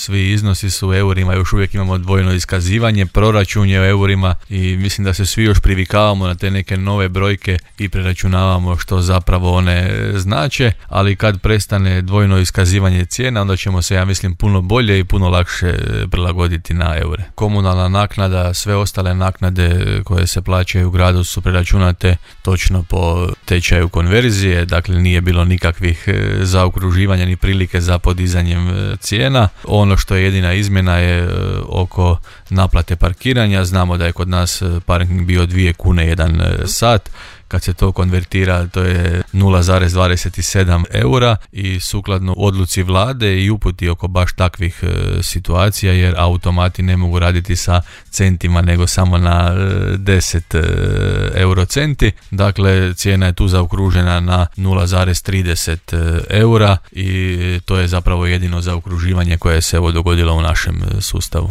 svi iznosi su u eurima, još uvijek imamo dvojno iskazivanje, proračun je u eurima i mislim da se svi još privikavamo na te neke nove brojke i preračunavamo što zapravo one znače, ali kad prestane dvojno iskazivanje cijena, onda ćemo se, ja mislim, puno bolje i puno lakše prilagoditi na eure. Komunalna naknada, sve ostale naknade koje se plaćaju u gradu su preračunate točno po tečaju konverzije, dakle nije bilo nikakvih zaokruživanja ni prilike za podizanjem cijena. Ono što je jedina izmjena je oko naplate parkiranja. Znamo da je kod nas parking bio 2 kune 1 sat. Kad se to konvertira, to je 0,27 eura i sukladno odluci vlade i uputi oko baš takvih situacija, jer automati ne mogu raditi sa centima nego samo na 10 eurocenti. Dakle, cijena je tu zaokružena na 0,30 eura i to je zapravo jedino zaokruživanje koje se dogodilo u našem sustavu.